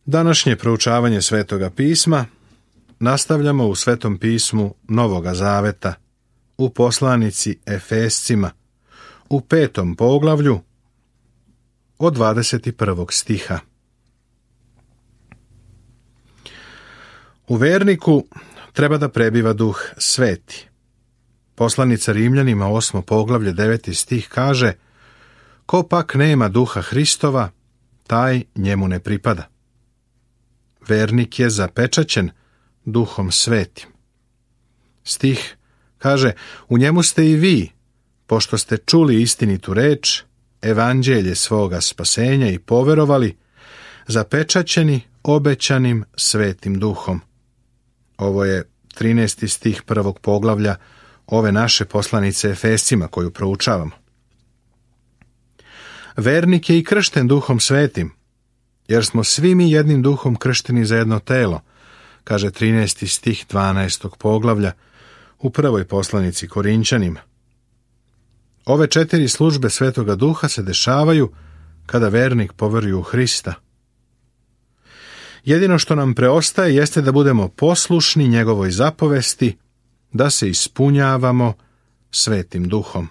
Današnje proučavanje Svetoga pisma nastavljamo u Svetom pismu Novoga Zaveta, u poslanici Efescima, u 5. poglavlju, od 21. stiha. U verniku treba da prebiva Duh Sveti. Poslanica Rimljanima 8. poglavlje 9. stih kaže: ko pak nema Duha Hristova, taj njemu ne pripada. Vernik je zapečaćen Duhom Svetim. Stih kaže: u njemu ste i vi, pošto ste čuli istinitu reč, evanđelje svoga spasenja i poverovali, zapečaćeni obećanim Svetim Duhom. Ovo je 13. stih 1. poglavlja ove naše poslanice Efescima koju proučavamo. Vernik je i kršten Duhom Svetim, jer smo svi mi jednim duhom kršteni za jedno telo, kaže 13. stih 12. poglavlja u prvoj poslanici Korinćanima. Ove 4 službe Svetoga Duha se dešavaju kada vernik poveruje u Hrista. Jedino što nam preostaje jeste da budemo poslušni njegovoj zapovesti, da se ispunjavamo Svetim Duhom.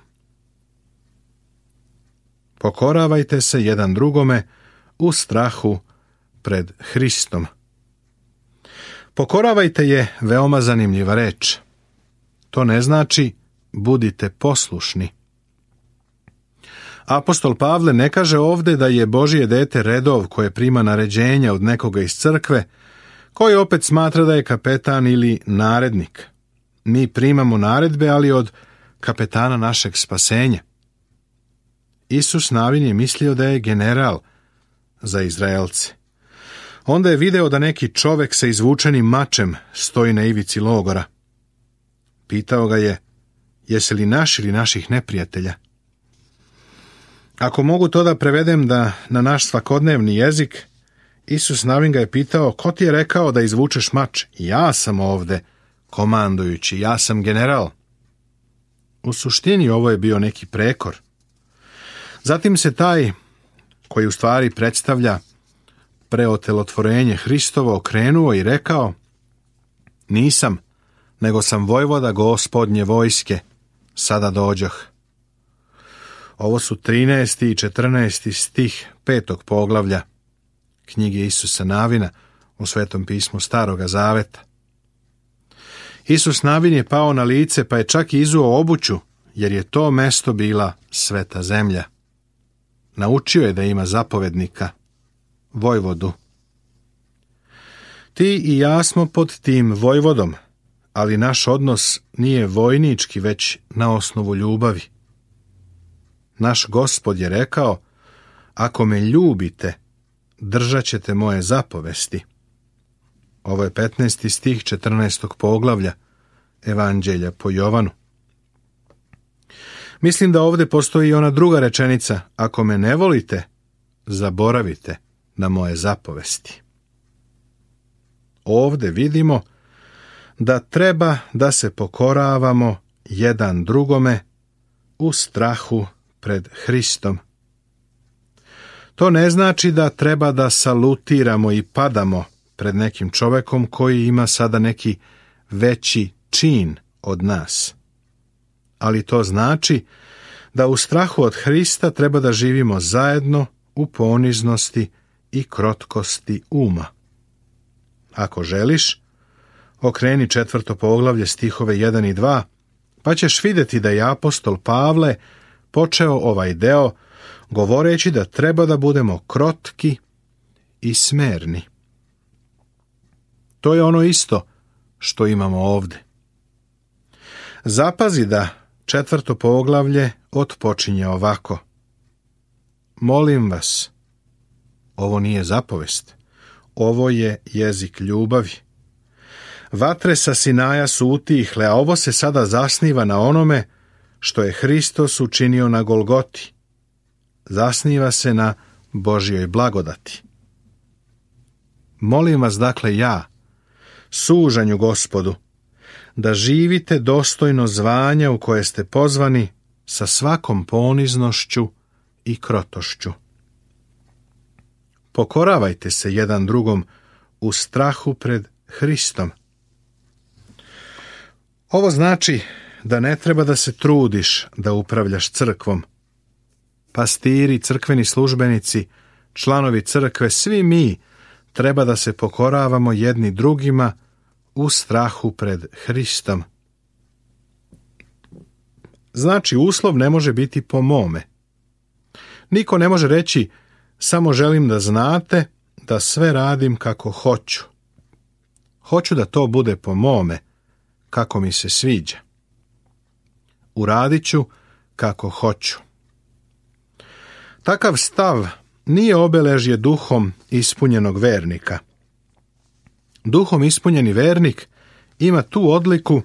Pokoravajte se jedan drugome u strahu pred Hristom. Pokoravajte je veoma zanimljiva reč. To ne znači budite poslušni. Apostol Pavle ne kaže ovde da je Božje dete redov koje prima naređenja od nekoga iz crkve, koji opet smatra da je kapetan ili narednik. Mi primamo naredbe, ali od kapetana našeg spasenja. Isus Navin je mislio da je general za Izraelce. Onda je video da neki čovek sa izvučenim mačem stoji na ivici logora. Pitao ga je: jesi li naš ili naših neprijatelja? Ako mogu to da prevedem na naš svakodnevni jezik, Isus Navin ga je pitao: ko ti je rekao da izvučeš mač? Ja sam ovde komandujući, ja sam general. U suštini ovo je bio neki prekor. Zatim se taj, koji u stvari predstavlja preotelotvorenje Hristovo, okrenuo i rekao: nisam, nego sam vojvoda Gospodnje vojske, sada dođoh. Ovo su 13. i 14. stih 5. poglavlja knjige Isusa Navina u Svetom pismu Staroga Zaveta. Isus Navin je pao na lice, pa je čak i izuo obuću, jer je to mesto bila sveta zemlja. Naučio je da ima zapovednika, vojvodu. Ti i ja smo pod tim vojvodom, ali naš odnos nije vojnički, već na osnovu ljubavi. Naš Gospod je rekao: ako me ljubite, držat ćete moje zapovesti. Ovo je 15. stih 14. poglavlja Evanđelja po Jovanu. Mislim da ovdje postoji i ona druga rečenica: ako me ne volite, zaboravite na moje zapovesti. Ovdje vidimo da treba da se pokoravamo jedan drugome u strahu pred Hristom. To ne znači da treba da salutiramo i padamo pred nekim čovekom koji ima sada neki veći čin od nas. Ali to znači da u strahu od Hrista treba da živimo zajedno u poniznosti i krotkosti uma. Ako želiš, okreni 4. poglavlje stihove 1 i 2, pa ćeš vidjeti da je apostol Pavle počeo ovaj deo govoreći da treba da budemo krotki i smerni. To je ono isto što imamo ovdje. Zapazi da 4. poglavlje otpočinje ovako: molim vas. Ovo nije zapovest, ovo je jezik ljubavi. Vatre sa Sinaja su utihle, a ovo se sada zasniva na onome što je Hristos učinio na Golgoti. Zasniva se na Božjoj blagodati. Molim vas dakle ja, sužanju Gospodu, da živite dostojno zvanja u koje ste pozvani sa svakom poniznošću i krotošću. pokoravajte se jedan drugom u strahu pred Hristom. Ovo znači da ne treba da se trudiš da upravljaš crkvom. Pastiri, crkveni službenici, članovi crkve, svi mi treba da se pokoravamo jedni drugima u strahu pred Hristom. Znači, uslov ne može biti po mome. Niko ne može reći, samo želim da znate da sve radim kako hoću. Hoću da to bude po mome, kako mi se sviđa. Uradit ću kako hoću. Takav stav nije obeležje duhom ispunjenog vernika. Duhom ispunjeni vernik ima tu odliku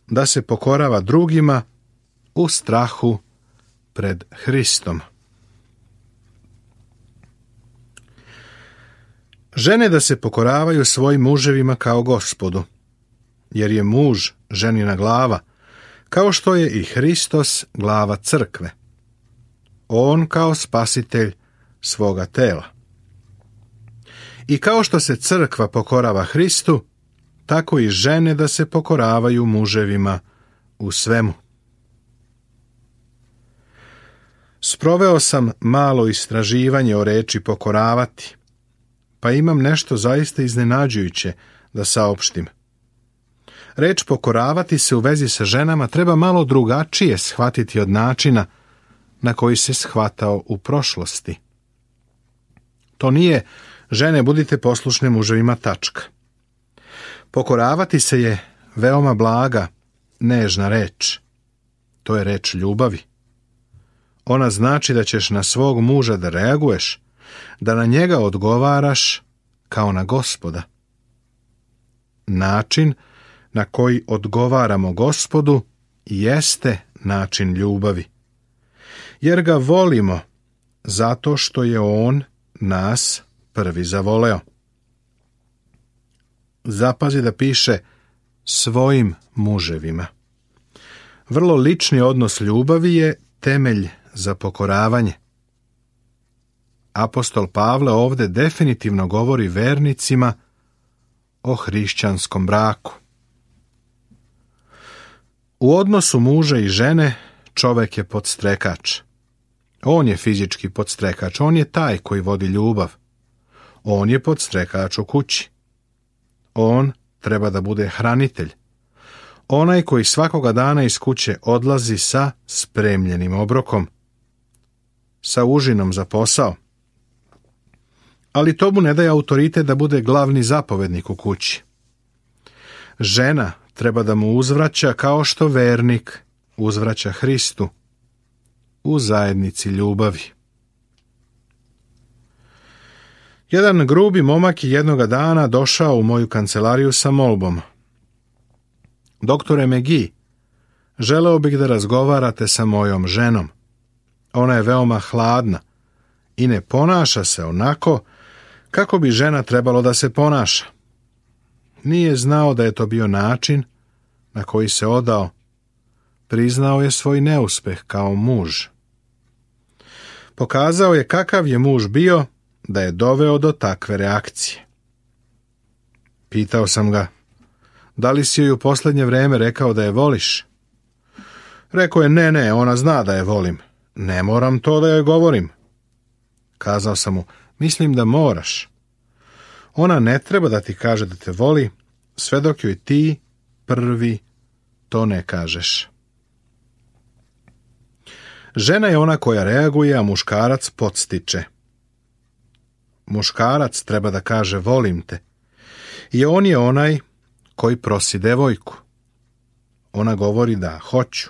da se pokorava drugima u strahu pred Hristom. Žene da se pokoravaju svojim muževima kao Gospodu, jer je muž ženina glava, kao što je i Hristos glava crkve. On kao spasitelj svoga tela. I kao što se crkva pokorava Hristu, tako i žene da se pokoravaju muževima u svemu. Sproveo sam malo istraživanje o reči pokoravati, pa imam nešto zaista iznenađujuće da saopštim. Reč pokoravati se u vezi sa ženama treba malo drugačije shvatiti od načina na koji se shvatao u prošlosti. To nije žene budite poslušne muževima tačka. Pokoravati se je veoma blaga, nežna reč. To je reč ljubavi. Ona znači da ćeš na svog muža da reaguješ, da na njega odgovaraš kao na Gospoda. Način na koji odgovaramo Gospodu jeste način ljubavi. Jer ga volimo zato što je on nas prvi zavoleo. Zapazi da piše svojim muževima. Vrlo lični odnos ljubavi je temelj za pokoravanje. Apostol Pavle ovdje definitivno govori vernicima o hrišćanskom braku. U odnosu muža i žene čovjek je podstrekač. On je fizički podstrekač, on je taj koji vodi ljubav. On je podstrekač u kući. On treba da bude hranitelj. Onaj koji svakoga dana iz kuće odlazi sa spremljenim obrokom, sa užinom za posao. Ali to mu ne daje autoritet da bude glavni zapovednik u kući. Žena treba da mu uzvraća kao što vernik uzvraća Hristu u zajednici ljubavi. Jedan grubi momak je jednoga dana došao u moju kancelariju sa molbom. Doktore McGee, želeo bih da razgovarate sa mojom ženom. Ona je veoma hladna i ne ponaša se onako kako bi žena trebalo da se ponaša. Nije znao da je to bio način na koji se odao. Priznao je svoj neuspeh kao muž. Pokazao je kakav je muž bio da je doveo do takve reakcije. Pitao sam ga, da li si joj u posljednje vrijeme rekao da je voliš? Rekao je, ne, ona zna da je volim. Ne moram to da joj govorim. Kazao sam mu, mislim da moraš. Ona ne treba da ti kaže da te voli, sve dok joj ti prvi to ne kažeš. Žena je ona koja reaguje, a muškarac podstiče. Muškarac treba da kaže volim te. I on je onaj koji prosi devojku. Ona govori da hoću.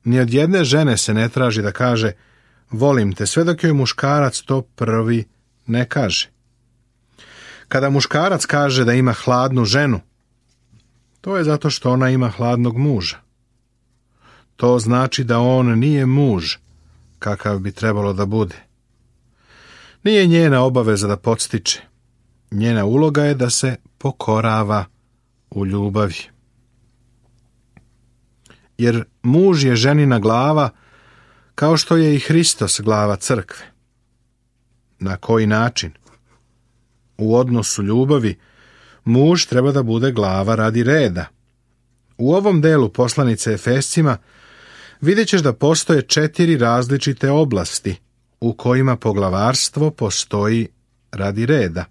Ni od jedne žene se ne traži da kaže volim te, sve dok joj muškarac to prvi ne kaže. Kada muškarac kaže da ima hladnu ženu, to je zato što ona ima hladnog muža. To znači da on nije muž kakav bi trebalo da bude. Nije njena obaveza da podstiče. Njena uloga je da se pokorava u ljubavi. Jer muž je ženina glava, kao što je i Hristos glava crkve. Na koji način? U odnosu ljubavi, muž treba da bude glava radi reda. U ovom delu poslanice Efescima vidjet ćeš da postoje 4 različite oblasti u kojima poglavarstvo postoji radi reda,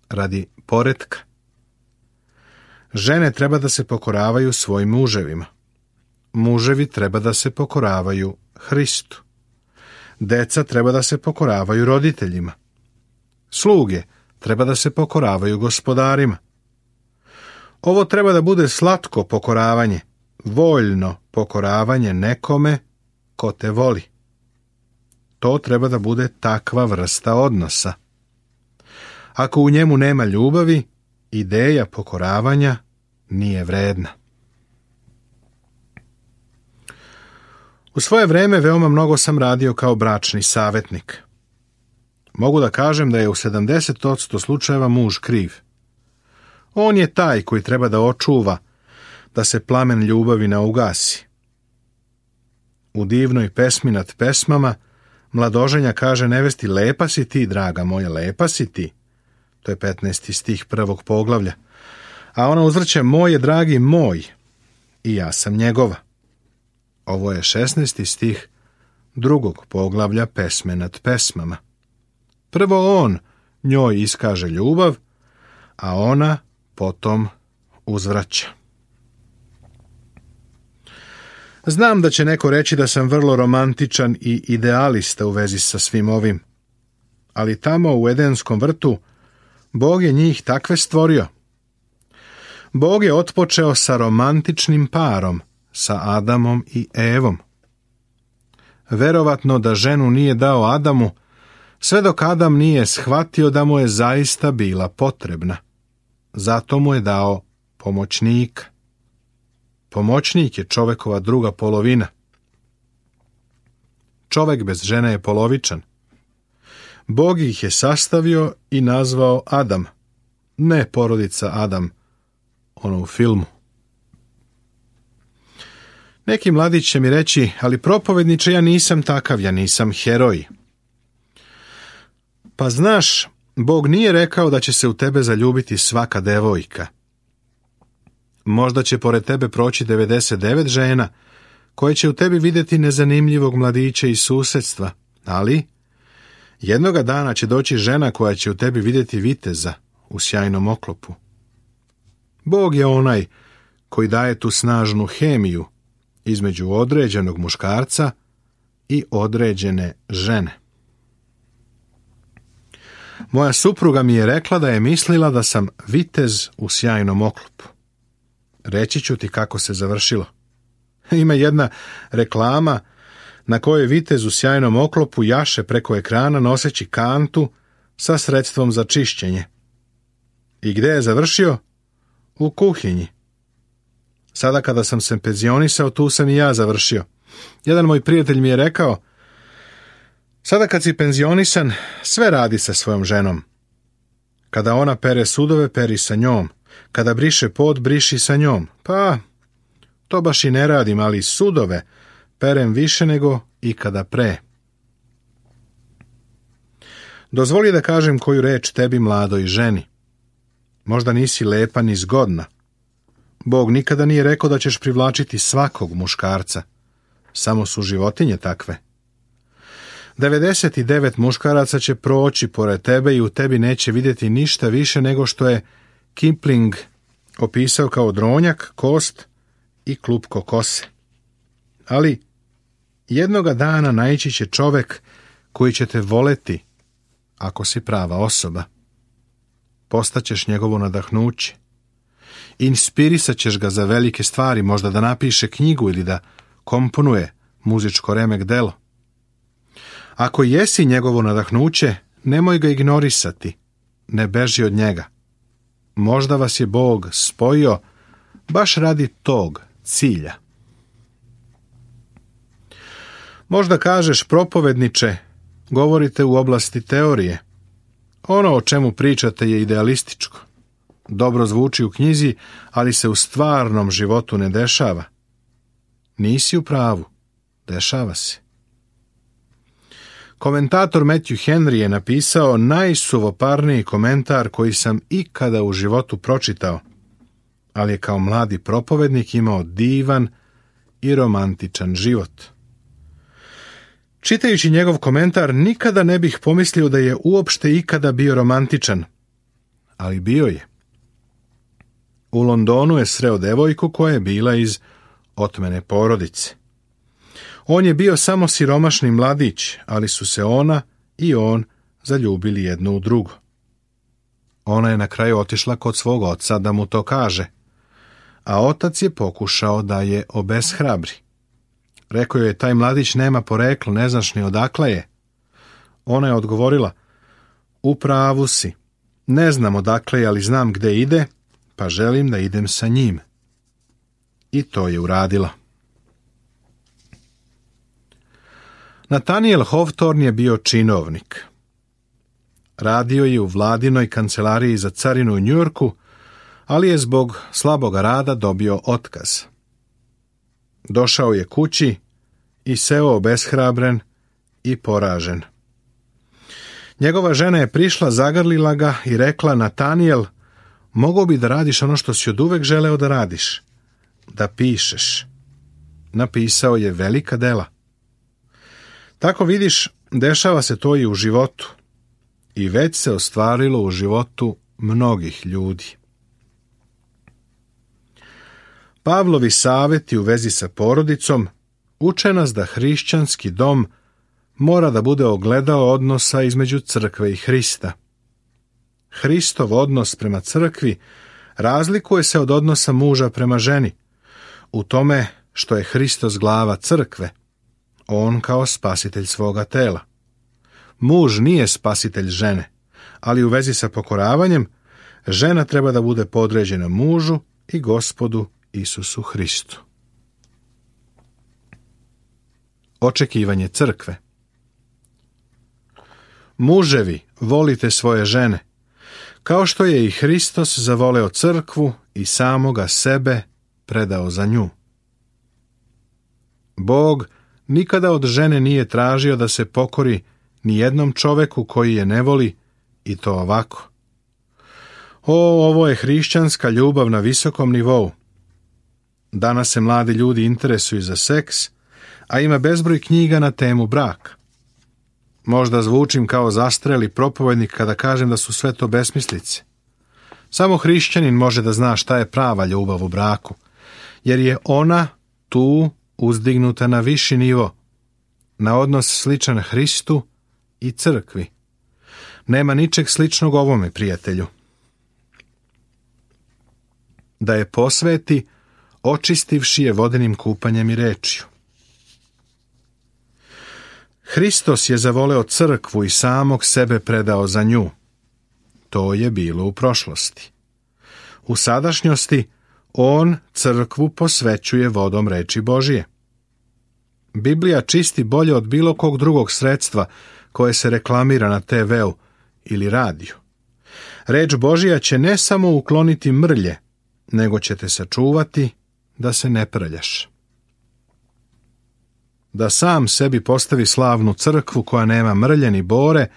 radi poretka. Žene treba da se pokoravaju svojim muževima. Muževi treba da se pokoravaju Hristu. Deca treba da se pokoravaju roditeljima. Sluge treba da se pokoravaju gospodarima. Ovo treba da bude slatko pokoravanje, voljno pokoravanje nekome ko te voli. To treba da bude takva vrsta odnosa. Ako u njemu nema ljubavi, ideja pokoravanja nije vredna. U svoje vreme veoma mnogo sam radio kao bračni savjetnik. Mogu da kažem da je u 70% slučajeva muž kriv. On je taj koji treba da očuva da se plamen ljubavi ne ugasi. U divnoj pesmi nad pesmama mladoženja kaže nevesti: lepa si ti, draga moja, lepa si ti. To je 15. stih 1. poglavlja. A ona uzvrće: moj je dragi moj i ja sam njegova. Ovo je 16. stih 2. poglavlja pesme nad pesmama. Prvo on njoj iskaže ljubav, a ona potom uzvraća. Znam da će neko reći da sam vrlo romantičan i idealista u vezi sa svim ovim, ali tamo u Edenskom vrtu Bog je njih takve stvorio. Bog je otpočeo sa romantičnim parom, sa Adamom i Evom. Verovatno da ženu nije dao Adamu, sve dok Adam nije shvatio da mu je zaista bila potrebna. Zato mu je dao pomoćnika. Pomoćnik je čovekova druga polovina. Čovek bez žene je polovičan. Bog ih je sastavio i nazvao Adam, ne porodica Adam, ono u filmu. Neki mladić će mi reći: ali propovedniče, ja nisam takav, ja nisam heroj. Pa znaš, Bog nije rekao da će se u tebe zaljubiti svaka devojka. Možda će pored tebe proći 99 žena koje će u tebi vidjeti nezanimljivog mladića iz susedstva, ali jednoga dana će doći žena koja će u tebi vidjeti viteza u sjajnom oklopu. Bog je onaj koji daje tu snažnu hemiju između određenog muškarca i određene žene. Moja supruga mi je rekla da je mislila da sam vitez u sjajnom oklopu. Reći ću ti kako se završilo. Ima jedna reklama na kojoj vitez u sjajnom oklopu jaše preko ekrana noseći kantu sa sredstvom za čišćenje. I gde je završio? U kuhinji. Sada kada sam se penzionisao, tu sam i ja završio. Jedan moj prijatelj mi je rekao: sada kad si penzionisan, sve radi sa svojom ženom. Kada ona pere sudove, peri sa njom. Kada briše pod, briši sa njom. Pa, to baš i ne radim, ali sudove perem više nego ikada pre. Dozvoli da kažem koju reč tebi, mladoj ženi. Možda nisi lepa ni zgodna. Bog nikada nije rekao da ćeš privlačiti svakog muškarca. Samo su životinje takve. 99 muškaraca će proći pored tebe i u tebi neće vidjeti ništa više nego što je Kipling opisao kao dronjak, kost i klupko kose. Ali jednoga dana naići će čovek koji će te voleti ako si prava osoba. Postaćeš njegovo nadahnuće. Inspirisat ćeš ga za velike stvari, možda da napiše knjigu ili da komponuje muzičko remek delo. Ako jesi njegovo nadahnuće, nemoj ga ignorisati, ne beži od njega. Možda vas je Bog spojio baš radi tog cilja. Možda kažeš: propovedniče, govorite u oblasti teorije. Ono o čemu pričate je idealističko. Dobro zvuči u knjizi, ali se u stvarnom životu ne dešava. Nisi u pravu, dešava se. Komentator Matthew Henry je napisao najsuvoparniji komentar koji sam ikada u životu pročitao, ali je kao mladi propovednik imao divan i romantičan život. Čitajući njegov komentar, nikada ne bih pomislio da je uopšte ikada bio romantičan, ali bio je. U Londonu je sreo devojku koja je bila iz otmene porodice. On je bio samo siromašni mladić, ali su se ona i on zaljubili jedno u drugo. Ona je na kraju otišla kod svog oca da mu to kaže, a otac je pokušao da je obeshrabri. Rekao je, taj mladić nema poreklo, ne znaš ni odakle je. Ona je odgovorila, u pravu si, ne znam odakle je, ali znam gde ide, pa želim da idem sa njim. I to je uradila. Nathaniel Hawthorne je bio činovnik. Radio je u vladinoj kancelariji za carinu u Njujorku, ali je zbog slaboga rada dobio otkaz. Došao je kući i seo obeshrabren i poražen. Njegova žena je prišla, zagrlila ga i rekla, Nathaniel, mogao bi da radiš ono što si oduvek želeo da radiš, da pišeš. Napisao je velika dela. Tako vidiš, dešava se to i u životu. I već se ostvarilo u životu mnogih ljudi. Pavlovi savjeti u vezi sa porodicom uče nas da hrišćanski dom mora da bude ogledalo odnosa između crkve i Hrista. Hristov odnos prema crkvi razlikuje se od odnosa muža prema ženi, u tome što je Hristos glava crkve, on kao spasitelj svoga tela. Muž nije spasitelj žene, ali u vezi sa pokoravanjem, žena treba da bude podređena mužu i Gospodu Isusu Hristu. Očekivanje crkve. Muževi, volite svoje žene, kao što je i Hristos zavoleo crkvu i samoga sebe predao za nju. Bog nikada od žene nije tražio da se pokori ni jednom čoveku koji je ne voli, i to ovako. Ovo je hrišćanska ljubav na visokom nivou. Danas se mladi ljudi interesuju za seks, a ima bezbroj knjiga na temu braka. Možda zvučim kao zastreli propovednik kada kažem da su sve to besmislice. Samo hrišćanin može da zna šta je prava ljubav u braku, jer je ona tu uzdignuta na viši nivo, na odnos sličan Hristu i crkvi. Nema ničeg sličnog ovome, prijatelju. Da je posveti, očistivši je vodenim kupanjem i rečju. Hristos je zavoleo crkvu i samog sebe predao za nju. To je bilo u prošlosti. U sadašnjosti on crkvu posvećuje vodom reči Božije. Biblija čisti bolje od bilo kog drugog sredstva koje se reklamira na TV-u ili radiju. Reč Božija će ne samo ukloniti mrlje, nego će te sačuvati da se ne prljaš. Da sam sebi postavi slavnu crkvu koja nema mrlje ni bore,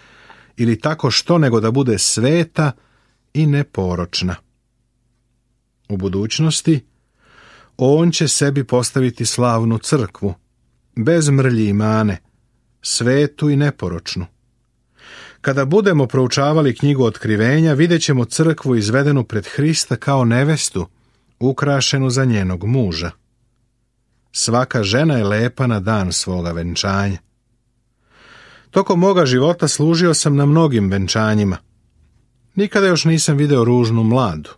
ili tako što nego da bude sveta i neporočna. U budućnosti on će sebi postaviti slavnu crkvu, bez mrlji i mane, svetu i neporočnu. Kada budemo proučavali knjigu Otkrivenja, vidjet ćemo crkvu izvedenu pred Hrista kao nevestu, ukrašenu za njenog muža. Svaka žena je lepa na dan svoga venčanja. Tokom moga života služio sam na mnogim venčanjima. Nikada još nisam video ružnu mladu.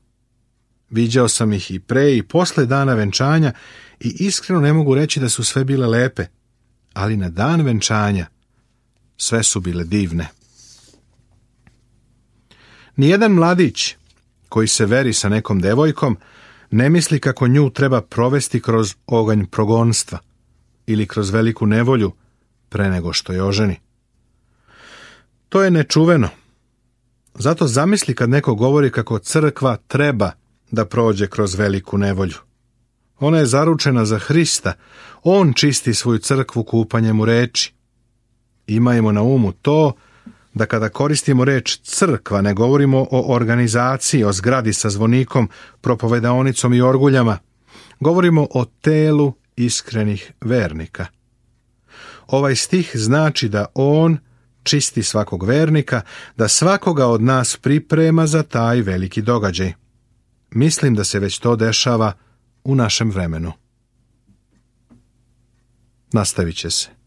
Viđao sam ih i pre i posle dana venčanja i iskreno ne mogu reći da su sve bile lepe, ali na dan venčanja sve su bile divne. Nijedan mladić koji se veri sa nekom devojkom ne misli kako nju treba provesti kroz oganj progonstva ili kroz veliku nevolju pre nego što je oženi. To je nečuveno. Zato zamisli kad neko govori kako crkva treba da prođe kroz veliku nevolju. Ona je zaručena za Hrista, on čisti svoju crkvu kupanjem u reči. Imajmo na umu to da kada koristimo reč crkva ne govorimo o organizaciji, o zgradi sa zvonikom, propovedaonicom i orguljama. Govorimo o telu iskrenih vernika. Ovaj stih znači da on čisti svakog vernika, da svakoga od nas priprema za taj veliki događaj. Mislim da se već to dešava u našem vremenu. Nastavit će se.